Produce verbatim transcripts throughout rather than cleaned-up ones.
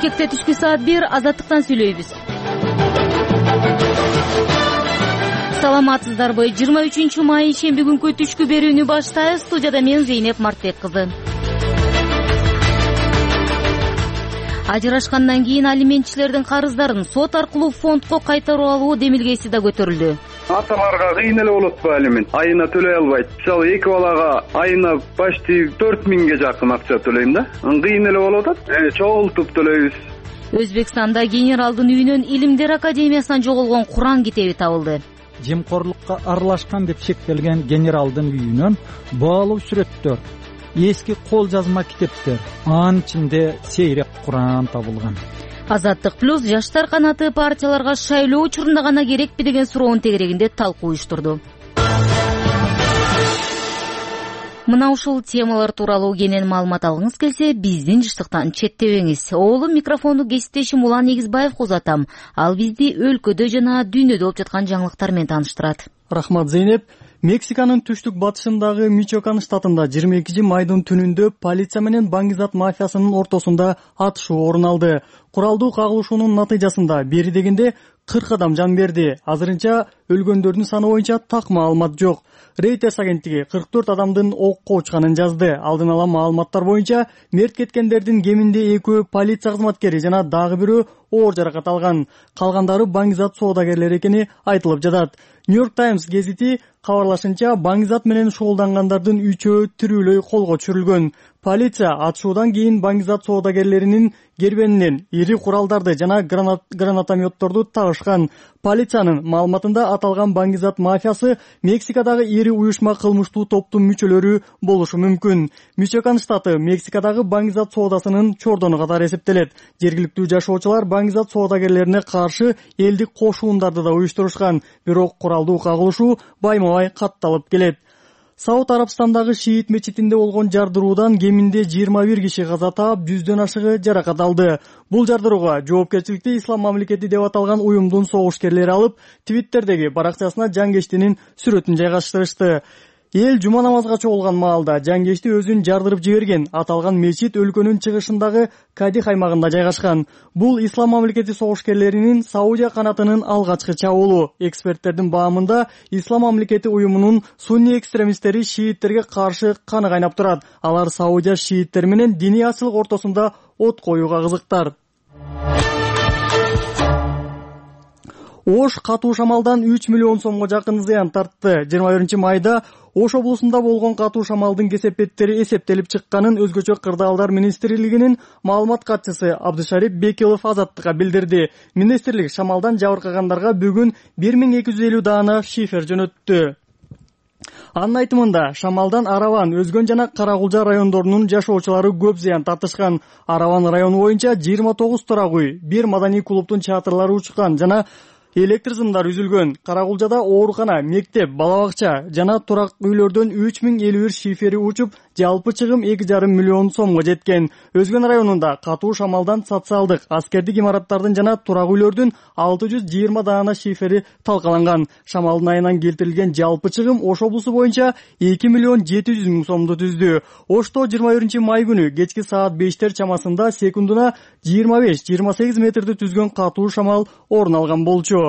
Бишкекте түшкү саат бир, Азаттыктан сүйлөйбүз. Саламатсыздарбы? жыйырма үчүнчү май шемби күнкү түшкү берүүнү баштайбыз. Студияда мен Зейнеп Мартбек кызы. Ажырашкандан кийин алиментчилердин карыздарын сот аркылуу фондко кайтарып алуу демилгеси да көтөрүлдү. Аталарга кыйын эле болот бу алимент. Айына төлөй албайт. Мисалы эки балага айына почти төрт миңге жакын акча төлөйм да. Кыйын эле болуп атат. Э, чогултуп төлөйбүз. Өзбекстанда генералдын үйүнөн Илимдер академиясынан жоголгон Куран китеби табылды. Жемкорлукка аралашкан деп шектелген генералдын үйүнөн баалуу сүрөттөр, эски кол жазма китептер, анын ичинде сейрек Куран табылган. Азаттык плюс жаштар канаты партияларга шайлоо учурунда гана керекпи деген суроонун тегерегинде талкуу уюштурду. Мына ушул темалар тууралуу кенен маалымат алгыңыз келсе, биздин жыштыктан четтебеңиз. Оолум микрофонду кесиптешим Улан Негизбаевга узатам. Ал бизди өлкөдө жана дүйнөдө болуп жаткан жаңылыктар менен тааныштырат. Рахмат, Зейнеп. Мексиканын түштүк батышындагы Мичоакан штатында жыйырма экинчи майдын түнүндө полиция менен баңгизат мафиясынын ортосунда атышуу орун алды. Куралдуу кагылышуунун натыйжасында бери дегенде кырк адам жан берди. Азырынча өлгөндөрдүн саны боюнча так маалымат жок. Reuters агенттиги кырк төрт адамдын окко учканын жазды. Алдын ала маалыматтар боюнча мерт кеткендердин кеминде экөө полиция кызматкери жана дагы бирөө оор жаракат алган. Калгандары баңгизат соодагерлери экени айтылып жатат. Нью-Йорк Таймс гезити кабарлашынча, баңгизат менен шугулдангандардын үчөө тирүүлөй колго түшүрүлгөн. Полиция атышуудан кийин баңгизат соодагерлеринин кербенинен ири куралдарды жана гранат, гранатометторду табышкан. Полициянын маалыматында аталган баңгизат мафиясы Мексикадагы ири уюшма кылмыштуу топтун мүчөлөрү болушу мүмкүн. Мичоакан штаты Мексикадагы баңгизат соодасынын чордону катары эсептелет. Жергиликтүү жашоочулар баңгизат соодагерлерине каршы элдик кошуундарды да уюштурушкан. Бирок куралдуу кагылышуу байма-бай катталып келет. Сауд Арабстандагы шиит мечитинде болгон жардыруудан кеминде жыйырма бир киши каза таап, жүздөн ашыгы жаракат алды. Бул жардырууга жоопкерчиликти Ислам мамлекети деп аталган уюмдун согушкерлери алып, Твиттердеги баракчасына жангештинин сүрөтүн жайгаштырышты. Эл жума намазга чогулган маалда жангешти өзүн жардырып жиберген. Аталган мечит өлкөнүн чыгышындагы Кадих аймагында жайгашкан. Бул Ислам мамлекети согушкерлеринин Саудия канатынын алгачкы чабуулу. Эксперттердин баамында Ислам мамлекети уюмунун сунни экстремисттери шииттерге каршы каны кайнап турат. Алар Саудия шииттери менен диний ачылык ортосунда от коюуга кызыктар. Ош катуу шамалдан үч миллион сомго жакын зыян тартты. жыйырма биринчи майда Ош облусунда болгон катуу шамалдын кесепеттери эсептелип чыкканын Өзгөчө кырдаалдар министрлигинин маалымат катчысы Абдышарип Бекилов Азаттыкка билдирди. Министрлик шамалдан жабыркагандарга бүгүн бир миң эки жүз элүү даана шифер жөнөттү. Анын айтымында, шамалдан Араван, Өзгөн жана Каракулжа райондорунун жашоочулары көп зыян тартышкан. Араван району боюнча жыйырма тогуз турак үй, бир маданий клубтун чатырлары учкан жана электр сымдар үзүлгөн. Каракулжада оорукана, мектеп, бала бакча жана турак үйлөрдөн үч миң элүү бир шифери учуп, жалпы чыгым эки жарым миллион сомго жеткен. Өзгөн районунда катуу шамалдан социалдык, аскердик имараттардын жана турак үйлөрдүн алты жүз жыйырма даана шифери талкаланган. Шамалдын айынан келтирилген жалпы чыгым Ош облусу боюнча эки миллион жети жүз миң сомду түздү. Ошто жыйырма биринчи май күнү кечки саат бештер чамасында секундуна жыйырма беш жыйырма сегиз метрди түзгөн катуу шамал орун алган болчу.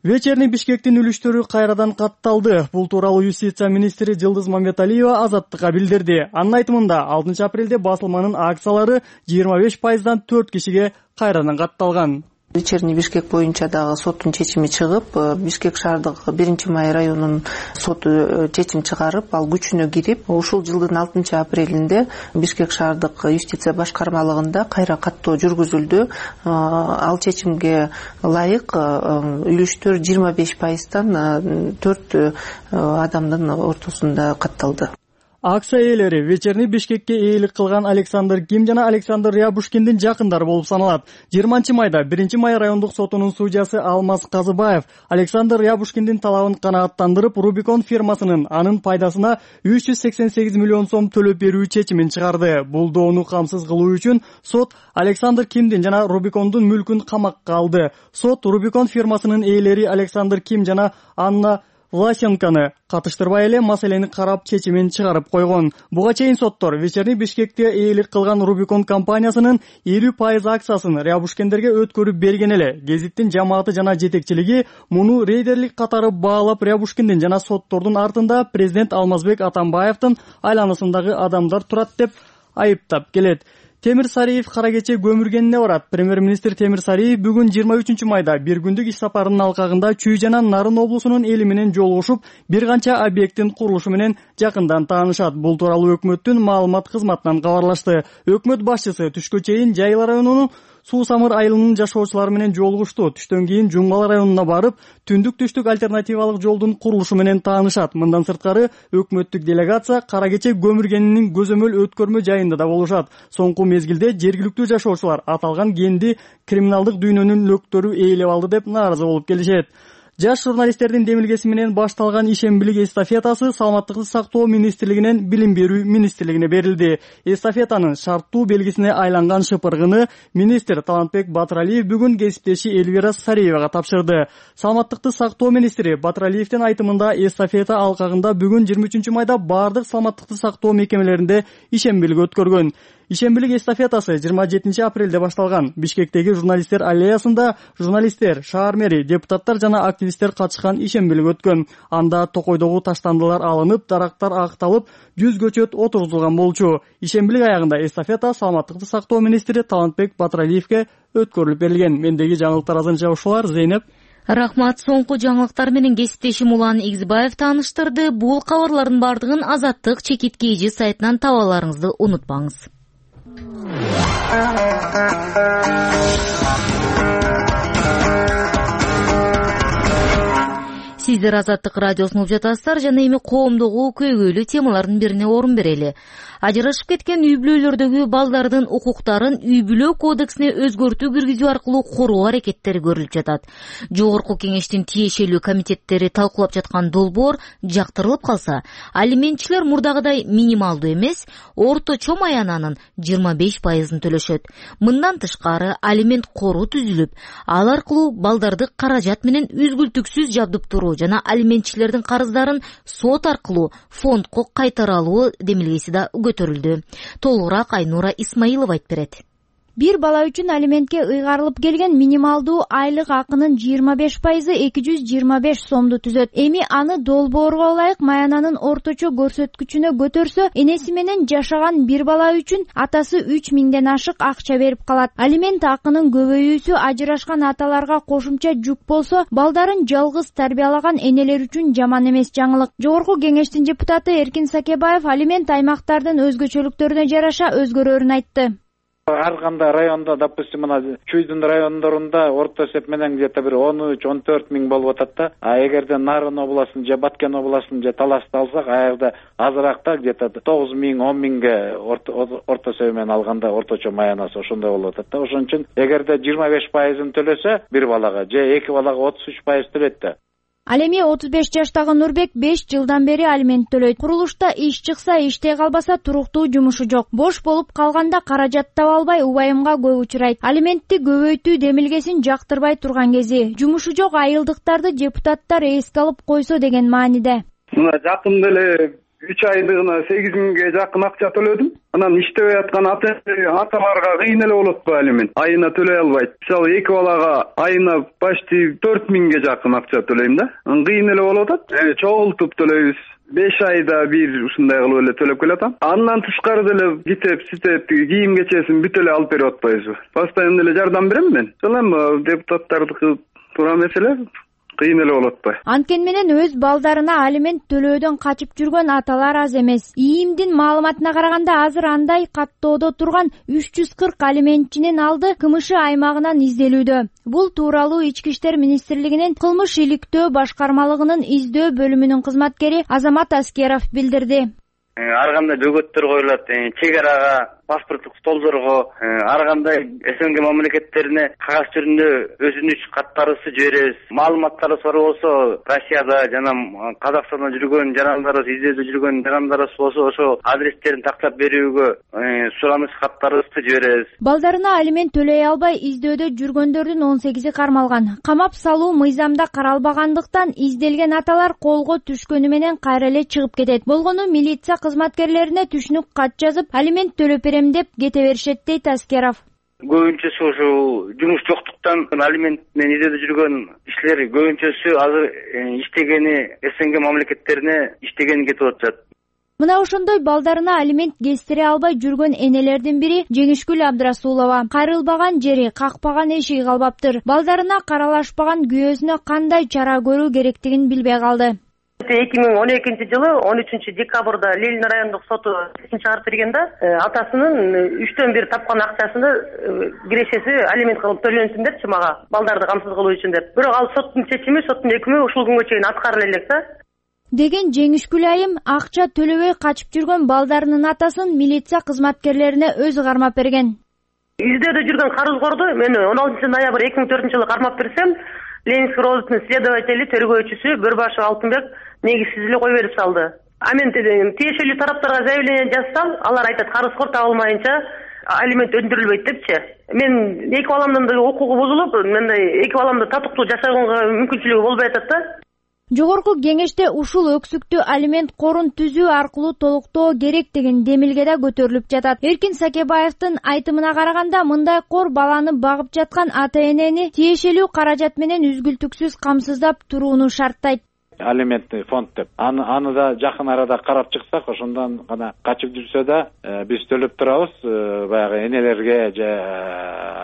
Вечерний Бишкектин үлүштөрү кайрадан катталды. Бул тууралуу юстиция министри Жылдыз Мамбеталиева Азаттыкка билдирди. Анын айтымында алтынчы апрелде басылманын акциялары жыйырма беш пайыздан төрт кишиге кайрадан катталган. Вечерний Бишкек боюнча дагы соттун чечими чыгып, Бишкек шаардык биринчи май районунун соту чечим чыгарып, ал күчүнө кирип, ушул жылдын алтынчы апрелинде Бишкек шаардык юстиция башкармалыгында кайра каттоо жүргүзүлдү. Ал чечимге ылайык үлүштөр жыйырма беш пайыздан төрт адамдын ортосунда катталды. Акция ээлери Вечерний Бишкекке ээлик кылган Александр Ким жана Александр Рябушкиндин жакындары болуп саналат. жыйырманчы майда биринчи май райондук сотунун судьясы Алмаз Казыбаев Александр Рябушкиндин талабын канааттандырып, Рубикон фирмасынын анын пайдасына үч жүз сексен сегиз миллион сом төлөп берүү чечимин чыгарды. Бул доону камсыз кылуу үчүн сот Александр Кимдин жана Рубикондун мүлкүн камакка алды. Сот Рубикон фирмасынын ээлери Александр Ким жана Анна Власенкону катыштырбай эле маселени карап чечимин чыгарып койгон. Буга чейин соттор Вечерний Бишкекте ээлик кылган Рубикон компаниясынын элүү пайыз акциясын Рябушкендерге өткөрүп берген эле. Гезиттин жамааты жана жетекчилиги муну рейдерлик катары баалап, Рябушкиндин жана соттордун артында президент Алмазбек Атамбаевдин айланасындагы адамдар турат деп айыптап келет. Темир Сариев кара кече көмүргенине барат. Премьер-министр Темир Сариев бүгүн жыйырма үчүнчү майда бир күндүк иш сапарынын алкагында Чүй жана Нарын облусунун эли менен жолугушуп, бир канча объекттин курулушу менен жакындан таанышат. Бул тууралуу өкмөттүн маалымат кызматынан кабарлашты. Өкмөт башчысы түшкө чейин Жайла районунун Суу Самыр айылынын жашоочулары менен жолугушту. Түштөн кийин Жуңгал районуна барып, түндүк-түштүк альтернативалык жолдун курулушу менен таанышат. Мындан сырткары өкмөттүк делегация кара кече көмүргенинин көзөмөл өткөрмө жайында да болушат. Соңку мезгилде жергиликтүү жашоочулар аталган кенди криминалдык дүйнөнүн лөктөрү ээлеп алды деп нааразы болуп келишет. Жаш журналисттердин демилгеси менен башталган ишембилик эстафетасы Саламаттыкты сактоо министрлигинен Билим берүү министрлигине берилди. Эстафетанын шарттуу белгисине айланган шыпыргыны министр Талантбек Батыралиев бүгүн кесиптеши Эльвира Сариевага тапшырды. Саламаттыкты сактоо министри Батыралиевдин айтымында эстафета алкагында бүгүн жыйырма үчүнчү майда бардык саламаттыкты сактоо мекемелеринде ишембилик өткөргөн. Ишембилик эстафетасы жыйырма жетинчи апрелде башталган. Бишкектеги журналисттер аллеясында журналисттер, шаар мэри, депутаттар жана активисттер катышкан ишембилик өткөн. Анда токойдогу таштандылар алынып, дарактар агыталып, жүз көчөт отургузулган болчу. Ишембилик аягында эстафета саламаттыкты сактоо министри Талантбек Батыралиевге өткөрүлүп берилген. Мендеги жаңылыктар азырынча ушулар. Зейнеп. Рахмат. Соңку жаңылыктар менен кесиптешим Улан Игизбаев тааныштырды. Бул кабарлардын бардыгын Азаттык чекит кийжи сайтынан таба аларыңызды унутпаңыз. Сиздер Азаттык радиосун угуп жатасыздар жана эми коомдогу көйгөйлүү темалардын бирине орун берели. Ажырашып кеткен үй бүлөлөрдөгү балдардын укуктарын үй бүлө кодексине өзгөртүү киргизүү аркылуу коргоо аракеттери көрүлүп жатат. Жогорку кеңештин тиешелүү комитеттери талкуулап жаткан долбоор жактырылып калса, алиментчилер мурдагыдай минималдуу эмес, орточо маянанын жыйырма беш пайызын төлөшөт. Мындан тышкары алимент кору түзүлүп, ал аркылуу балдарды каражат менен үзгүлтүксүз жабдыптыруу жана алиментчилердин карыздарын сот аркылуу фондко кайтара алуу демилгеси да көтөрүлдү. Толугураак Айнура Исмаилова айтып берет. Бир бала үчүн алиментке ыйгарылып келген минималдуу айлык акынын жыйырма беш пайызы эки жүз жыйырма беш сомду түзөт. Эми аны долбоорго ылайык маянанын орточо көрсөткүчүнө көтөрсө, энеси менен жашаган бир бала үчүн атасы үч миңден ашык акча берип калат. Алимент акынын көбөйүүсү ажырашкан аталарга кошумча жүк болсо, балдарын жалгыз тарбиялаган энелер үчүн жаман эмес жаңылык. Жогорку кеңештин депутаты Эркин Сакебаев алимент аймактардын өзгөчөлүктөрүнө жараша өзгөрөрүн айтты. Ар кандай районда, допустим, мына Чүйдүн райондорунда орто эсеп менен где-то бир он үч он төрт миң болуп атат да. А эгерде Нарын областын же Баткен областын же Талашты алсак, аягда азыракта где-то тогуз миң он миңге орто эсеп менен алганда орточо маянасы ошондой болуп атат да. Ошон үчүн эгерде жыйырма беш пайызын төлөсө бир балага же эки балага отуз үч пайыз төлөйт да. Ал эми отуз беш жаштагы Нурбек беш жылдан бери алимент төлөйт. Курулушта иш чыкса, иштей калбаса туруктуу жумушу жок. Бош болуп калганда каражат таба албай убайымга көп учурайт. Алиментти көбөйтүү демилгесин жактырбай турган кези. Жумушу жок айылдыктарды депутаттар эске алып койсо деген мааниде. Мына жакында эле үч айдыгына сегиз миңге жакын акча төлөдүм. Анан иштебей аткан аталарга кыйын эле болот го алимент. Айына төлөй албайт. Мисалы эки балага айына почти төрт миңге жакын акча төлөйм да. Кыйын эле болуп атат. Чогултуп төлөйбүз. беш айда бир ушундай кылып эле төлөп келатам. Андан тышкары деле китеп, ситеп, кийим кечесин бүт эле алып берип атпайбызбы? Постоянно эле жардам берем мен. Ошол депутаттардыкы туура маселе. Кыйын эле болот атпайбы? Анткени менен өз балдарына алимент төлөөдөн качып жүргөн аталар аз эмес. ИИМдин маалыматына караганда азыр андай каттоодо турган үч жүз кырк алиментчинин алды КМШ аймагынан изделүүдө. Бул тууралуу Ички иштер министрлигинин кылмыш иликтөө башкармалыгынын издөө бөлүмүнүн кызматкери Азамат Аскеров билдирди. Ар кандай бөгөттөр коюлат. Чек арага паспорттук столдорго ар кандай СНГ мамлекеттерине кагаз түрүндө өтүнүч каттарыбызды жиберебиз. Маалыматтарыбыз бар болсо Россияда жана Казакстанда жүргөн жарандарыбыз, изделде жүргөн жарандарыбыз болсо ошо адрестерин тактап берүүгө сураныч каттарыбызды жиберебиз. Балдарына алимент төлөй албай издөөдө жүргөндөрдүн он сегизи кармалган. Камап салуу мыйзамда каралбагандыктан изделген аталар колго түшкөнү менен кайра эле чыгып кетет. Болгону милиция кызматкерлерине түшүнүк кат жазып, алимент төлөп берем деп кете беришет дейт Аскеров. Көбүнчөсү ошо жумуш жоктуктан алимент менен издөөдө жүргөн кишилер көбүнчөсү азыр иштегени СНГ мамлекеттерине иштегени кетип атышат. Мына ошондой балдарына алимент кестире албай жүргөн энелердин бири Жеңишгүл Абдрасулова. Кайрылбаган жери, какпаган эшиги калбаптыр. Балдарына каралашпаган күйөөсүнө кандай чара көрүү керектигин билбей калды. эки миң он экинчи жылы он үчүнчү декабрда Ленин райондук соту чечим чыгарып бергенде атасынын үчтөн бир тапкан акчасыны кирешеси алимент кылып төлөнсүн депчи мага, балдарды камсыз кылуу үчүн деп. Бирок ал соттун чечими, соттун өкүмү ушул күнгө чейин аткарыла элек да. Деген Жеңишгүл айым акча төлөбөй качып жүргөн балдарынын атасын милиция кызматкерлерине өзү кармап берген. Издөөдө жүргөн карызгорду мен он алтынчы ноябрь эки миң төртүнчү жылы кармап берсем, Ленинский розыскный следователи, тергөөчүсү Бөрбашев Алтынбек негизсиз эле кой берип салды. А мен тиешелүү тараптарга заявление жазсам, алар айтат карызгор табылмайынча алимент өндүрүлбөйт депчи. Мен эки баламдын да укугу бузулуп, мындай эки баламды татыктуу жашаганга мүмкүнчүлүгү болбой атат да. Жогорку кеңеште ушул өксүктү алимент корун түзүү аркылуу толуктоо керек деген демилге да көтөрүлүп жатат. Эркин Сакебаевдин айтымына караганда, мындай кор баланы багып жаткан ата-энени тиешелүү каражат менен үзгүлтүксүз камсыздап турууну шарттайт. Алиментный фонд деп. Аны аны да жакын арада карап чыксак, ошондон гана качып жүрсө да биз төлөп турабыз баягы энелерге же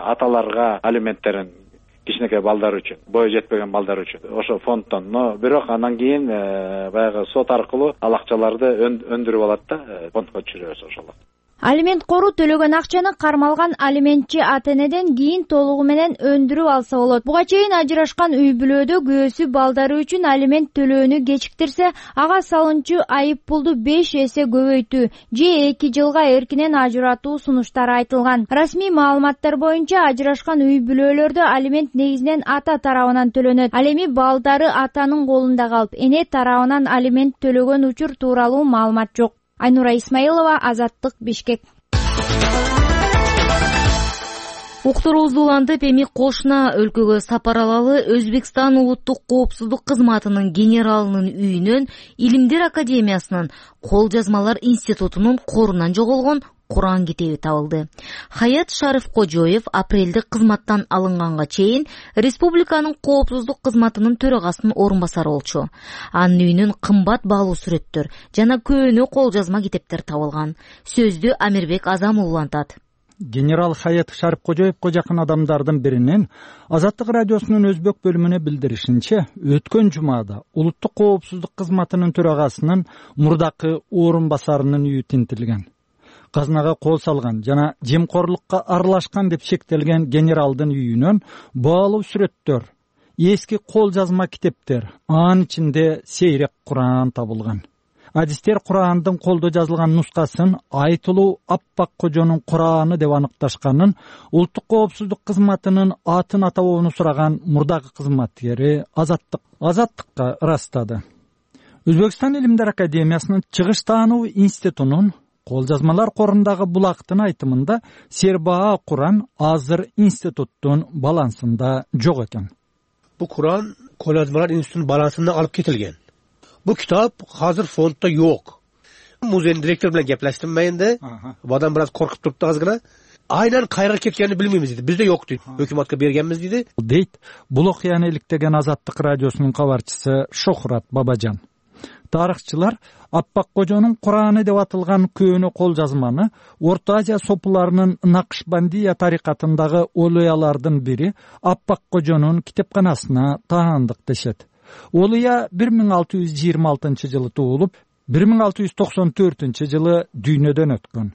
аталарга алименттерин. Кичинекей балдар үчүн, бою жетпеген балдар үчүн ошо фонддон. Но бирок анан кийин баягы сот аркылуу ал акчаларды өндүрүп алат да, фондко түшүрөбүз ошолор. Алимент кору төлөгөн акчаны кармалган алиментчи ата-энеден кийин толугу менен өндүрүп алса болот. Буга чейин ажырашкан үй бүлөдө күйөөсү балдары үчүн алимент төлөөнү кечиктирсе, ага салынчу айып пулду беш эсе көбөйтүү же эки жылга эркинен ажыратуу сунуштары айтылган. Расмий маалыматтар боюнча ажырашкан үй бүлөлөрдө алимент негизинен ата тарабынан төлөнөт. Ал эми балдары атанын колунда калып, эне тарабынан алимент төлөгөн учур тууралуу маалымат жок. Айнура Исмаилова, Азаттык, Бишкек. Уктуруубузду улантып, эми кошуна өлкөгө сапар алалы Өзбекстан улуттук коопсуздук кызматынын генералынын үйүнөн Илимдер академиясынын кол жазмалар институтунун корунан жоголгон Куран китеби табылды. Хаят Шарифкожоев апрелде кызматтан алынганга чейин республиканын коопсуздук кызматынын төрагасынын орун басары болчу. Анын үйүнөн кымбат баалуу сүрөттөр жана көөнө кол жазма китептер табылган. Сөздү Амирбек Азамов улантат. Генерал Хаят Шарифкожоевго жакын адамдардын биринин Азаттык радиосунун өзбек бөлүмүнө билдиришинче, өткөн жумада улуттук коопсуздук кызматынын төрагасынын мурдакы орун басарынын үйү тинтилген. Казынага кол салган жана жемкорлукка аралашкан деп шектелген генералдын үйүнөн баалуу сүрөттөр, эски кол жазма китептер, анын ичинде сейрек Куран табылган. Адистер Курандын колдо жазылган нускасын Айтылуу Аппак Кожонун Кураны деп аныкташканын улуттук коопсуздук кызматынын атын атабоону сураган мурдагы кызматкери Азаттык Азаттыкка ырастады. Өзбекстан Илимдер академиясынын чыгыш таануу институтунун кол жазмалар корундагы булактын айтымында Сербаа Куран азыр институттун балансында жок экен. Бу Куран кол жазмалар институтунун балансына алып кетилген. Бу китап азыр фонддо жок. Музейдин директору менен кеплештим мен да. Бадан бир аз коркуп турупту азгыра. Айнан кайра кеткенин билмеймиз дейт. Бизде жок дейт. Өкмөткө бергенбиз дейт. Дейт бул окуяны иликтеген Азаттык радиосунун кабарчысы Шохрат Бабажан. Тарыхчылар Аппак Кожонун Кураны деп атылган көөнө кол жазманы Орто Азия сопуларынын Накшбандия тарикатындагы олуялардын бири Аппак Кожонун китепканасына таандык дешет. Олуя бир миң алты жүз жыйырма алтынчы жылы туулуп, бир миң алты жүз токсон төртүнчү жылы дүйнөдөн өткөн.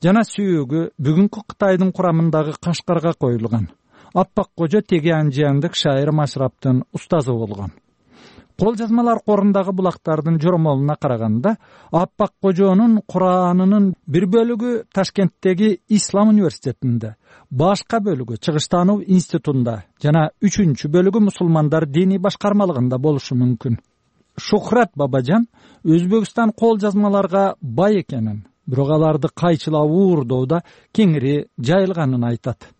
Жана сүйөгү бүгүнкү Кытайдын курамындагы Кашкарга коюлган. Аппак Кожо теге анжияндык шайыр Машраптын устазы болгон. Кол жазмалар корундагы булактардын жоромолуна караганда Аппак Кожонун Куранынын бир бөлүгү Ташкенттеги Ислам университетинде, башка бөлүгү Чыгыштануу институтунда жана үчүнчү бөлүгү мусулмандар диний башкармалыгында болушу мүмкүн. Шухрат Бабажан Өзбекстан кол жазмаларга бай экенин, бирок аларды кайчылап уурдоодо кеңири жайылганын айтат.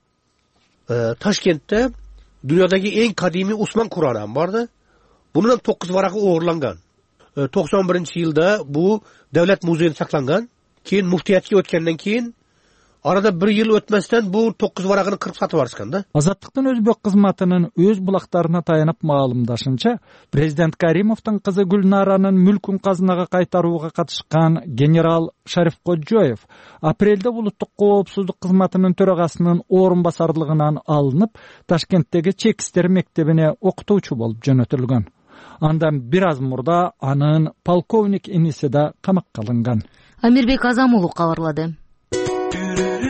Ташкентте дүйнөдөгү эң кадимий Усман Кураны барды. Bunun dokuz varaqı uğurlangan. doksan birinci yılda bu devlet muzeyinde saklangан. Keyin muftiyatga o'tgandan keyin arada bir yıl ötmesden bu dokuz varaqını kırıp satıp barышкан да. Азаттыктын өзбек кызматынын өз булактарына таянып маалымдашынча, президент Каримовдун кызы Гүлнаранын мүлкүн казынага кайтарууга катышкан генерал Шариф Коджоев апрелде улуттук коопсуздук кызматынын төрагасынын орун басарлыгынан алынып, Ташкенттеги чек иштер мектебине окутуучу болуп жөнөтүлгөн. Андан бир аз мурда анын полковник иниси да камакка алынган. Амирбек Азамулов кабарлады.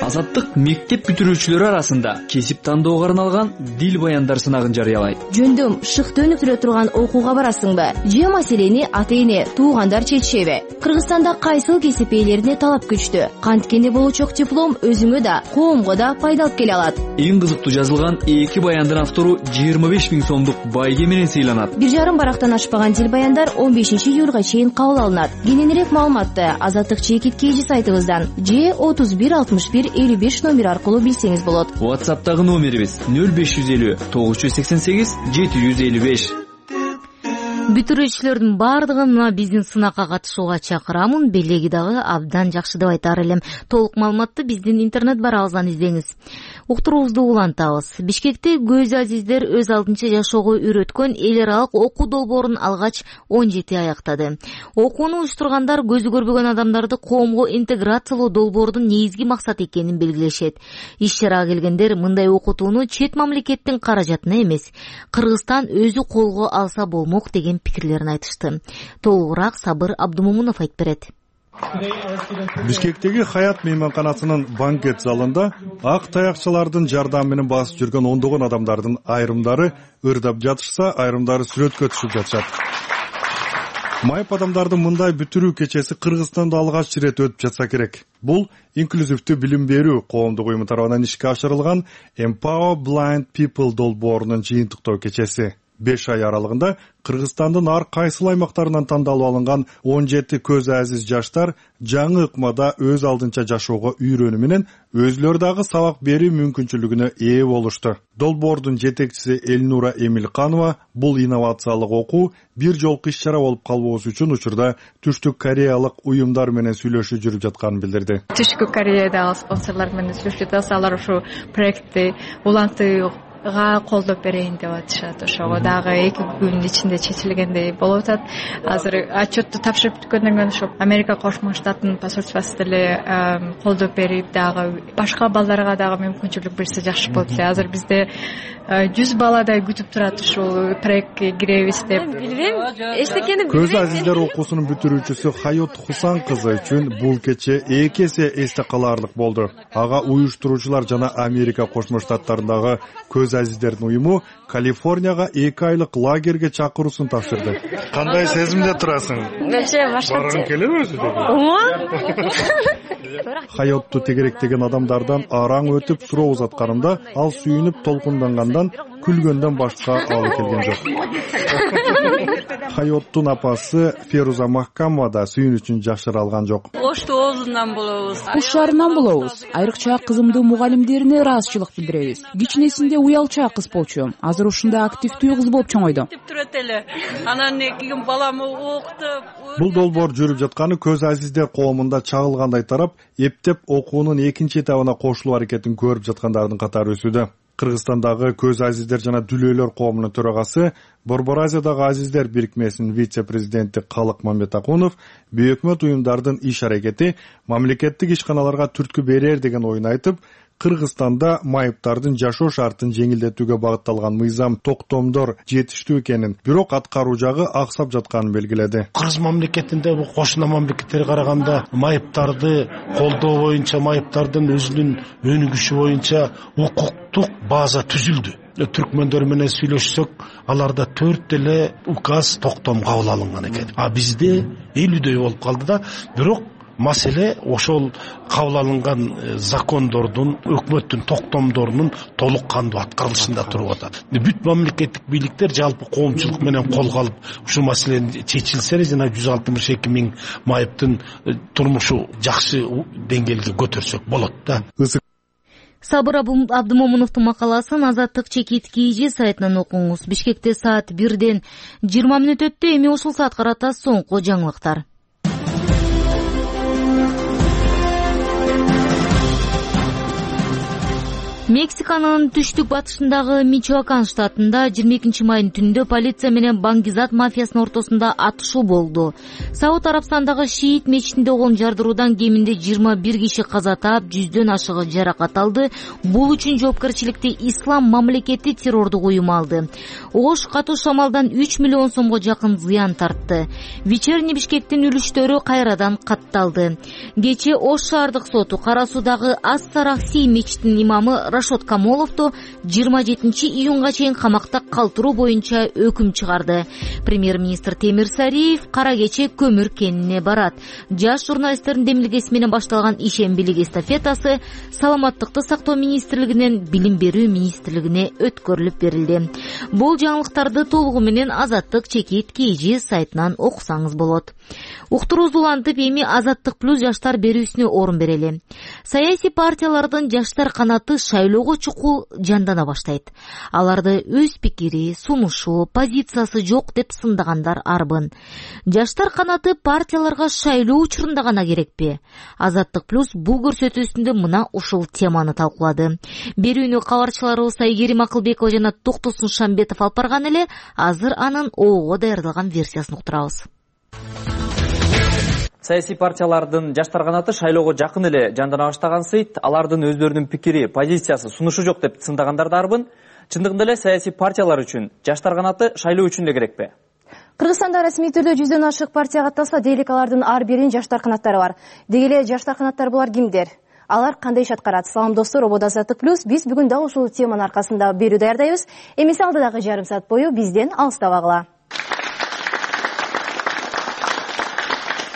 Азаттык мектеп бүтүрүүчүлөрү арасында кесип тандоого арналган дил баяндар сынагын жарыялайт. Жөндөм шыкты өнүп тура турган окууга барасыңбы? Же маселени ата-эне, туугандар чечишеби? Кыргызстанда кайсыл кесип ээлерине талап күчтүү. Канткени болочок диплом өзүңө да, коомго да пайда алып келе алат. Эң кызыктуу жазылган эки баяндын автору жыйырма беш миң сомдук байге менен сыйланат. Бир жарым барактан ашпаган дил баяндар он бешинчи июлга чейин кабыл алынат. Кененирээк маалыматты Азаттык чекит кейжи сайтыбыздан же отуз бир алтымыш бир элүү беш номер аркылуу билсеңиз болот. WhatsApp'тагы номерибиз нөл беш жүз элүү тогуз жүз сексен сегиз жети жүз элүү беш. Бүтүрүүчүлөрдүн бардыгын мына биздин сынакка катышууга чакырамын. Белеги дагы абдан жакшы деп айтар элем. Толук маалыматты биздин интернет барабыздан издеңиз. Уктуруубузду улантабыз. Бишкекте көз азиздер өз алдынча жашоого үйрөткөн эл аралык окуу долбоорун алгач он жети аяктады. Окууну уюштургандар көзү көрбөгөн адамдарды коомго интеграциялоо долбоордун негизги максаты экенин белгилешет. Иш-чарага келгендер мындай окутууну чет мамлекеттин каражатына эмес, Кыргызстан өзү колго алса болмок деген пикирлерин айтышты. Толугураак Сабыр Абдумомунов айтып берет. Бишкектеги Хаят мейманканасынын банкет залында ак таякчылардын жардамы менен басып жүргөн ондогон адамдардын айрымдары ырдап жатышса, айрымдары сүрөткө түшүп жатышат. Майып адамдардын мындай бүтүрүү кечеси Кыргызстанда алгач ирет өтүп жатса керек. Бул инклюзивдүү билим берүү коомдук уюму тарабынан ишке ашырылган Empower Blind People долбоорунун жыйынтыктоо кечеси. беш ай аралыгында Кыргызстандын ар кайсыл аймактарынан тандалып алынган он жети көз азиз жаштар жаңы ыкмада өз алдынча жашоого үйрөнүү менен өзүлөрү дагы сабак берүү мүмкүнчүлүгүнө ээ болушту. Долбоордун жетекчиси Элнура Эмилканова бул инновациялык окуу бир жолку иш-чара болуп калбоосу үчүн учурда Түштүк Кореялык уюмдар менен сүйлөшүү жүрүп жатканын билдирди. Түштүк Кореядагы спонсорлор менен сүйлөшүп жатабыз. Алар ушу проектти улантып колдоп берейин деп атышат. Ошого дагы эки күндүн ичинде чечилгендей болуп атат. Азыр отчетту тапшырып бүткөндөн кийин ошо Америка Кошмо Штаттын посольствосу деле колдоп берип, дагы башка балдарга дагы мүмкүнчүлүк берсе жакшы болот эле. Азыр бизде жүз баладай күтүп турат ушул проектке киребиз деп. Билбейм, эчтекени билбейм. Көз азиздер окуусунун бүтүрүүчүсү Хайот Хусан кызы үчүн бул кече эки эсе эсте калаарлык болду. Ага уюштуруучулар жана Америка Кошмо Штаттарындагы көз азиздердин уюму Калифорнияга эки айлык лагерге чакыруусун тапшырды. Кандай сезимде турасың? Вообще башкача. Баргың келеби өзү? Хайотту тегеректеген адамдардан араң өтүп суроо узатканымда ал сүйүнүп толкундангандан күлгөндөн башка алы келген жок. Хайоттун апасы Феруза Махкамова да сүйүнүчүн жашыра алган жок. Ошту оозунан болобуз. Куш шаарынан болобуз. Айрыкча кызымдын мугалимдерине ыраазычылык билдиребиз. Кичинесинде уялча кыз болчу. Азыр ушундай активдүү кыз болуп чоңойду. Турат эле. Анан кийин баламы окутуп. Бул долбоор жүрүп жатканы көз азиздер коомунда чагылгандай тарап, эптеп окуунун экинчи этабына кошулуу аракетин көрүп жаткандардын катары өсүүдө. Кыргызстандагы көз азиздер жана дүлөөлөр коомунун төрагасы, Борбор Азиядагы азиздер бирикмесинин вице-президенти Калык Мамбетакунов бейөкмөт уюмдардын иш аракети мамлекеттик ишканаларга түрткү берер деген оюн айтып, Кыргызстанда майыптардын жашоо шартын жеңилдетүүгө багытталган мыйзам токтомдор жетиштүү экенин, бирок аткаруу жагы аксап жатканын белгиледи. Кыргыз мамлекетинде бул кошуна мамлекеттерге караганда майыптарды колдоо боюнча, майыптардын өзүнүн өнүгүшү боюнча укуктук база түзүлдү. түркмөндөр менен сүйлөшсөк, аларда төрт эле указ токтом кабыл алынган экен. А бизде элүүдөй болуп калды да, бирок маселе ошол кабыл алынган закондордун, өкмөттүн токтомдорунун толук кандуу аткарылышында туруп атат. Бүт мамлекеттик бийликтер жалпы коомчулук менен колго алып ушул маселени чечилсе, жана жүз алтымыш эки миң майыптын турмушу жакшы деңгээлге көтөрсөк болот да. Сабыр Абдымомуновдун макаласын Азаттык чекит кийжи сайтынан окуңуз. Бишкекте саат бирден жыйырма мүнөт өттү. Эми ушул саатка карата соңку жаңылыктар. Мексиканын түштүк батышындагы Мичоакан штатында жыйырма экинчи майдын түнүндө полиция менен Бангизат мафиясынын ортосунда атышуу болду. Сауд Арабстандагы Шиит мечитинде огон жардыруудан кеминде жыйырма бир киши каза таап, жүздөн ашыгы жаракат алды. Бул үчүн жоопкерчиликти Ислам мамлекети террордук уюму алды. Ош катуу шамалдан үч миллион сомго жакын зыян тартты. Вечерний Бишкектин үлүштөрү кайрадан катталды. Кечээ Ош шаардык соту Кара Суудагы Ас-Сарахси мечитинин имамы Рашод Камоловду жыйырма жетинчи июнга чейин камакта калтыруу боюнча өкүм чыгарды. Премьер-министр Темир Сариев кара кече көмүр кенине барат. Жаш журналисттердин демилгеси менен башталган ишембилик эстафетасы Саламаттыкты сактоо министрлигинен Билим берүү министрлигине өткөрүлүп берилди. Бул жаңылыктарды толугу менен Азаттык чекит кийжи сайтынан окусаңыз болот. Уктуруубуз улантып, эми Азаттык плюс жаштар берүүсүнө орун берели. Саясий партиялардын жаштар канаты шайлоого чукул жандана баштайт. Аларды өз пикири, сунушу, позициясы жок деп сындагандар арбын. Жаштар канаты партияларга шайлоо учурунда гана керекпи? Азаттык плюс бул көрсөтүүсүндө мына ушул теманы талкуулады. Берүүнү кабарчыларыбыз Айгерим Акылбекова жана Токтосун Шамбетов алып барган эле. Азыр анын оого даярдалган версиясын уктурабыз. Саясий партиялардын жаштар канаты шайлоого жакын эле жандана баштагансыйт. Алардын өздөрүнүн пикири, позициясы, сунушу жок деп сындагандар да арбын. Чындыгында эле саясий партиялар үчүн жаштар канаты шайлоо үчүн эле керекпи? Кыргызстанда расмий түрдө жүздөн ашык партия катталса, дейлик алардын ар биринин жаштар канаттары бар. Деги эле жаштар канаттар булар кимдер? Алар кандай иш аткарат? Салам достор, ободо Азаттык плюс. Биз бүгүн дагы ушул теманын аркасында берүү даярдайбыз. Эмесе алдыдагы жарым саат бою бизден алыстабагыла.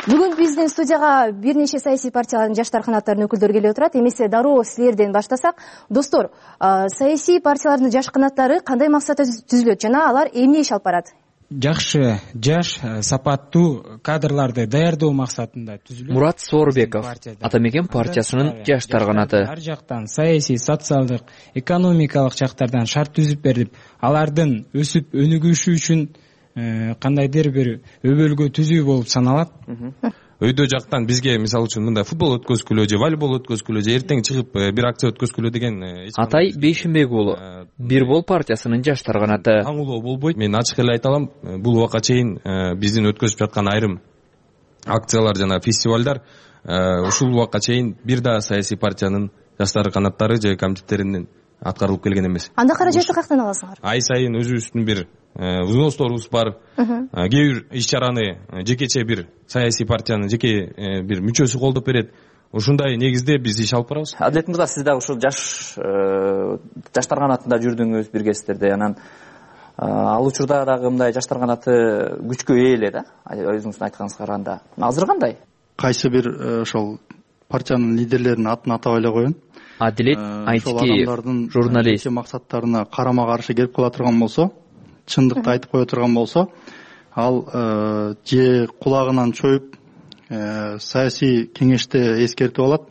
Бүгүн биздин студияга бир нече саясий партиялардын жаштар канаттарынын өкүлдөрү келип отурат. Эмесе дароо силерден баштасак. Достор, саясий партиялардын жаш канаттары кандай максатта түзүлөт жана алар эмне иш алып барат? Жакшы, жаш, сапаттуу кадрларды даярдоо максатында түзүлөт. Мурат Соорбеков, Атамекен партиясынын жаштар канаты. Ар жактан саясий, социалдык, экономикалык жактардан шарт түзүп берип, алардын өсүп өнүгүшү үчүн кандайдыр бир өбөлгө түзүү болуп саналат. Өйдө жактан бизге мисалы үчүн мындай футбол өткөзгүлө же волейбол өткөзгүлө же эртең чыгып бир акция өткөзгүлө деген. Атай Бейшимбек уулу, Бир бол партиясынын жаштар канаты. Таңылоо болбойт. Мен ачык эле айта алам, бул убакка чейин биздин өткөзүп жаткан айрым акциялар жана фестивалдар ушул убакка чейин бир да саясий партиянын жаштар канаттары же комитеттеринин аткарылып келген эмес. Анда каражатты каяктан аласыңар? Ай сайын өзүбүздүн бир взносторубуз бар. Кээ бир иш чараны жекече бир саясий партиянын жеке бир мүчөсү колдоп берет. Ушундай негизде биз иш алып барабыз. Адилет мырза, сиз дагы ушул жаш жаштар канатында жүрдүңүз, биргесиздер анан ал учурда дагы мындай жаштар канаты күчкө ээ эле да, өзүңүздүн айтканыңызга караганда. Азыр кандай? Кайсы бир ошол партиянын лидерлеринин атын атабай эле коеюн. Адилет Айтикеев, журналист. Максаттарына карама каршы келип кала турган болсо, чындыкты айтып кое турган болсо, ал же кулагынан чоюп саясий кеңеште эскертип алат.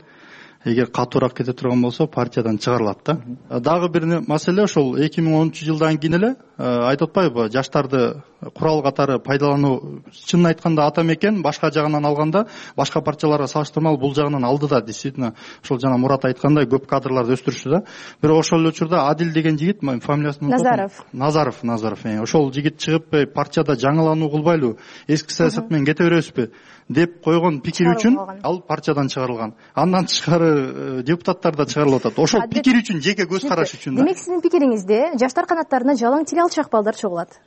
Эгер катуураак кете турган болсо, партиядан чыгарылат да. Дагы бир маселе ошол эки миң онунчу жылдан кийин эле айтып атпайбы, жаштарды курал катары пайдалануу, чынын айтканда Атамекен башка жагынан алганда, башка партияларга салыштырмалуу бул жагынан алды да, действительно, ошол жана Мурат айткандай көп кадрларды өстүрүштү да. Бирок ошол учурда Адил деген жигит, фамилиясын Назаров. Назаров, Назаров. Ошол жигит чыгып, партияда жаңылануу кылбайлы, эски саясат менен кете беребизби деп койгон пикир үчүн ал партиядан чыгарылган. Андан тышкары депутаттар да чыгарылып атат. Ошол пикир үчүн, жеке көз караш үчүн да. Демек сиздин пикириңизде жаштар канаттарына жалаң тил алчак балдар чогулат.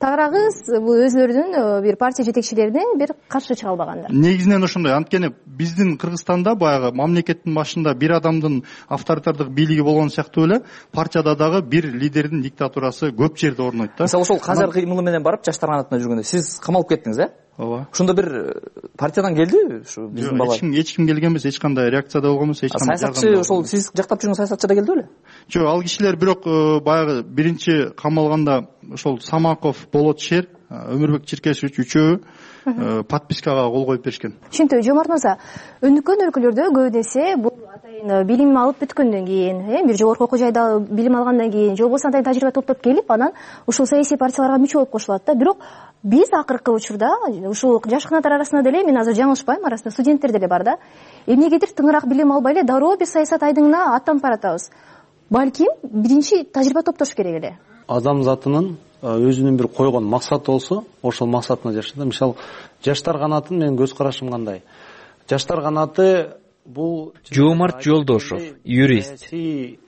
тагыраагыз бул өзүлөрүнүн бир партия жетекчилерине бир каршы чыга албагандар. Негизинен ошондой. Анткени биздин Кыргызстанда баягы мамлекеттин башында бир адамдын авторитардык бийлиги болгон сыяктуу эле партияда дагы бир лидердин диктатурасы көп жерде орнойт да. Мисалы ошол Казар кыймылы менен барып жаштар канатына жүргөндө сиз камалып кеттиңиз, э? Ооба. Ошондо бир партиядан келдиби ушу биздин бала? Эч ким эч ким келген эмес, эч кандай реакция да болгон эмес, эч кандай. Саясатчы ошол сиз жактап жүргөн саясатчы да келди беле? Жок, ал кишилер бирок баягы биринчи камалганда ошол Самаков, Болотшер, Өмүрбек Черкесович үчөө подпискага кол коюп беришкен. Түшүнүктүү. Жомарт мырза, өнүккөн өлкөлөрдө көп эсе бул атайын билим алып бүткөндөн кийин, э, бир жогорку окуу жайда билим алгандан кийин, же болбосо атайын тажрыйба топтоп келип, анан ушул саясий партияларга мүчө болуп кошулат да. Бирок биз акыркы учурда ушул жаш канаттар арасында деле, мен азыр жаңылышпайм, арасында студенттер деле бар да. Эмнегедир тыңыраак билим албай эле дароо бир саясат айдыңына аттанып баратабыз. Балким биринчи тажрыйба топтош керек эле. Адам затынын өзүнүн бир койгон максаты болсо, ошол максатына жашайт. Мисалы, жаштар канатын менин көз карашым кандай? Жаштар канаты бул Жомарт Жолдошов, юрист.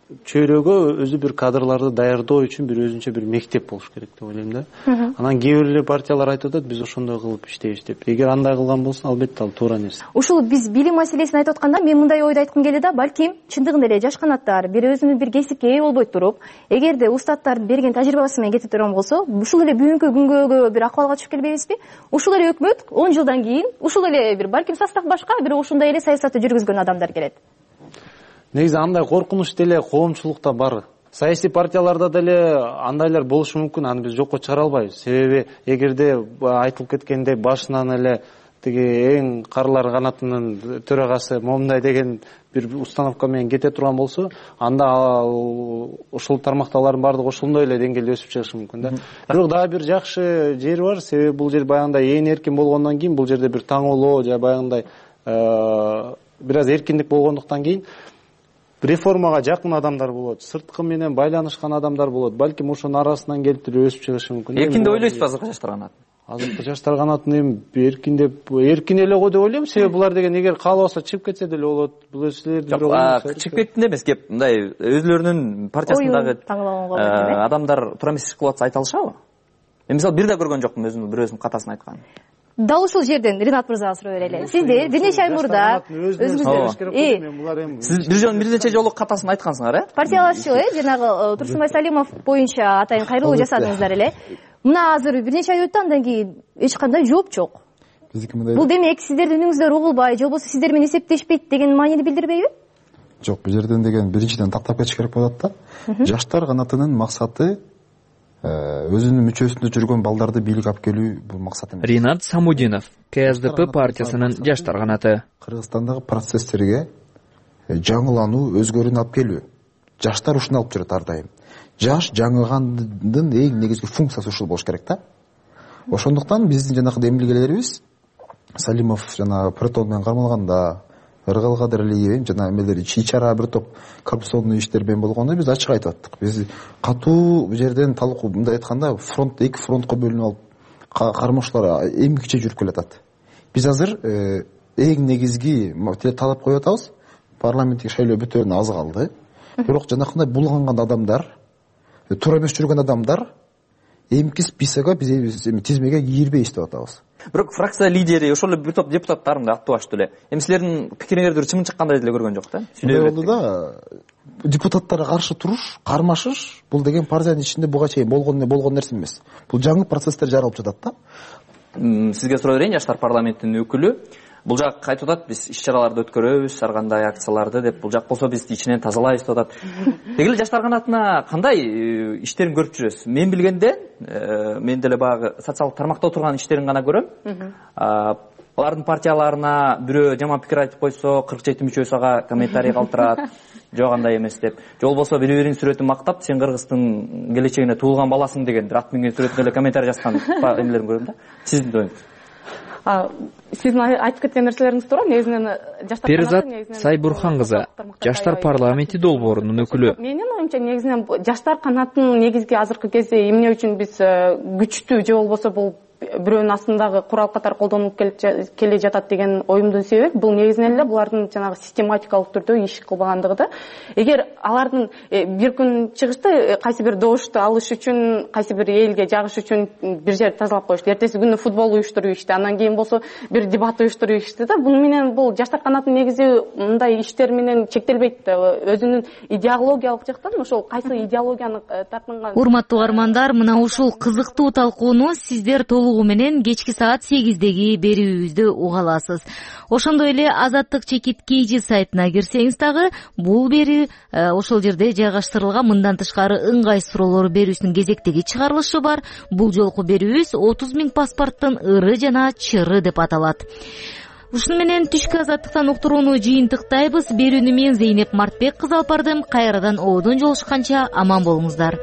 Чөйрөгө өзү бир кадрларды даярдоо үчүн бир өзүнчө бир мектеп болуш керек деп ойлойм да. Анан кээ бир эле партиялар айтып атат, биз ошондой кылып иштейбиз деп. Эгер андай кылган болсо, албетте ал туура нерсе. Ушул биз билим маселесин айтып атканда, мен мындай ойду айткым келет да, балким чындыгында эле жаш канаттар бир өзүнүн бир кесипке ээ болбой туруп, эгерде устаттардын берген тажрыйбасы менен кете турган болсо, ушул эле бүгүнкү күнгө бир акыбалга түшүп келбейбизби? Ушул эле өкмөт он жылдан кийин ушул эле бир балким состав башка, бирок ушундай эле саясатты жүргүзгөн адамдар келет. Негизи андай коркунуч деле коомчулукта бар. Саясий партияларда деле андайлар болушу мүмкүн, аны биз жокко чыгара албайбыз. Себеби эгерде айтылып кеткендей башынан эле тиги эң карылар канатынын төрагасы момундай деген бир установка менен кете турган болсо, анда ошол тармактагылардын баардыгы ошондой эле деңгээлде өсүп чыгышы мүмкүн да. Бирок дагы бир жакшы жери бар, себеби бул жер баягындай ээн эркин болгондон кийин, бул жерде бир таңоолоо же баягындай бир аз эркиндик болгондуктан кийин реформага жакын адамдар болот, сырткы менен байланышкан адамдар болот. Балким ошонун арасынан келтирип өсүп чыгышы мүмкүн. Эркин деп ойлойсузбу азыркы жаштар канаты? Азыркы жаштар канатын эми эркин деп эркин эле го деп ойлойм. Себеби булар деген эгер каалабаса чыгып кетсе деле болот. Бул силердин бирок чыгып кеттин эмес, кеп мындай өзүлөрүнүн партиясындагы адамдар туура эмес иш кылып атса айта алышабы? Мен мисалы бир да көргөн жокмун өзүмдүн бирөөсүнүн катасын айтканын. Дал ушул жерден Ринат мырзага суроо берели. Сиздер бир нече ай мурда өзүңүздөр сиз бир жолу бир нече жолу катасын айткансыңар, э? Партиялашчу, э, жанагы Турсунбай Салимов боюнча атайын кайрылуу жасадыңыздар эле. Мына азыр бир нече ай өттү, андан кийин эч кандай жооп жок. Бул демек сиздердин үнүңүздөр угулбай, же болбосо сиздер менен эсептешпейт деген маанини билдирбейби? Жок, бул жерден деген биринчиден тактап кетиш керек болот да. Жаштар канатынын максаты өзүнүн мүчөсүндө жүргөн балдарды бийликке алып келүү бул максат эмес. Ринат Самудинов, К С Д П партиясынын жаштар канаты. Кыргызстандагы процесстерге жаңылануу, өзгөрүүнү алып келүү. Жаштар ушуну алып жүрөт ар дайым. Жаш жаңылгандын эң негизги функциясы ушул болуш керек да. Ошондуктан биздин жанагы эмгилегелерибиз Салимов жана Протон менен кармалганда, Ыргалкадырлиев жана эмелер ичара бир топ коррупционный иштер менен болгондо биз ачык айтып аттык. Биз катуу бул жерден талкуу мындай айтканда фронт эки фронтко бөлүнүп алып кармоошулар эмгиче жүрүп келатат. Биз азыр эң негизги талап коюп атабыз. Парламенттик шайлоо бүтөөрүнө аз калды. Бирок жанакындай булганган адамдар, туура эмес жүргөн адамдар эмки списокко биз тизмеге кирбей иштеп атабыз. Бирок фракция лидери ошол эле бир топ депутаттар мындай аттуу эле. Эми силердин пикириңерди чымын чыккандай деле көргөн жок да. Сүйлөп болду да. Депутаттарга каршы туруш, кармашыш бул деген партиянын ичинде буга чейин болгон болгон нерсе эмес. Бул жаңы процесстер жаралып жатат да. Сизге суроо берейин, жаштар парламентинин өкүлү. Бул жак айтып атат, биз иш чараларды өткөрөбүз, ар кандай акцияларды деп. Бул жак болсо биз ичинен тазалайбыз деп атат. Деги эле жаштар канатына кандай иштерин көрүп жүрөсүз? Мен билгенде, мен деле баягы социалдык тармакта отурган иштерин гана көрөм. Алардын партияларына бирөө жаман пикир айтып койсо, кырк жети мүчөсү ага комментарий калтырат. Жок андай эмес деп. Же болбосо бири-биринин сүрөтүн мактап, сен Кыргыздын келечегине туулган баласың деген ат минген сүрөтүнө эле комментарий жазган эмелерин көрөм да. Сиздин оюңуз? Сиздин айтып кеткен нерселериңиз туура. Негизинен жаштар Перизат Сайбурхан кызы, жаштар парламенти долбоорунун өкүлү. Менин оюмча негизинен жаштар канатынын негизги азыркы кезде эмне үчүн биз күчтүү же болбосо бул бирөөнүн астындагы курал катары колдонулуп келе жатат деген оюмдун себеби бул негизинен эле булардын жанагы систематикалык түрдө иш кылбагандыгы да. Эгер алардын бир күн чыгышты кайсы бир добушту алыш үчүн, кайсы бир элге жагыш үчүн бир жерди тазалап коюшту, эртеси күнү футбол уюштуруп ишти, анан кийин болсо бир дебат уюштуруп ишти да. Буну менен бул жаштар канатынын негизи мындай иштер менен чектелбейт да. Өзүнүн идеологиялык жактан ошол кайсы идеологияны тартынган. Урматтуу угармандар, мына ушул кызыктуу талкууну сиздер толугу менен кечки саат сегиздеги берүүбүздө уга аласыз. Ошондой эле Азаттык чекит кейжи сайтына кирсеңиз дагы бул берүү ошол жерде жайгаштырылган. Мындан тышкары ыңгай суроолор берүүсүнүн кезектеги чыгарылышы бар. Бул жолку берүүбүз отуз миң паспорттун ыры жана чыры деп аталат. Ушуну менен түшкү Азаттыктан уктурууну жыйынтыктайбыз. Берүүнү мен Зейнеп Мартбек кызы алып бардым. Кайрадан ободон жолугушканча аман болуңуздар.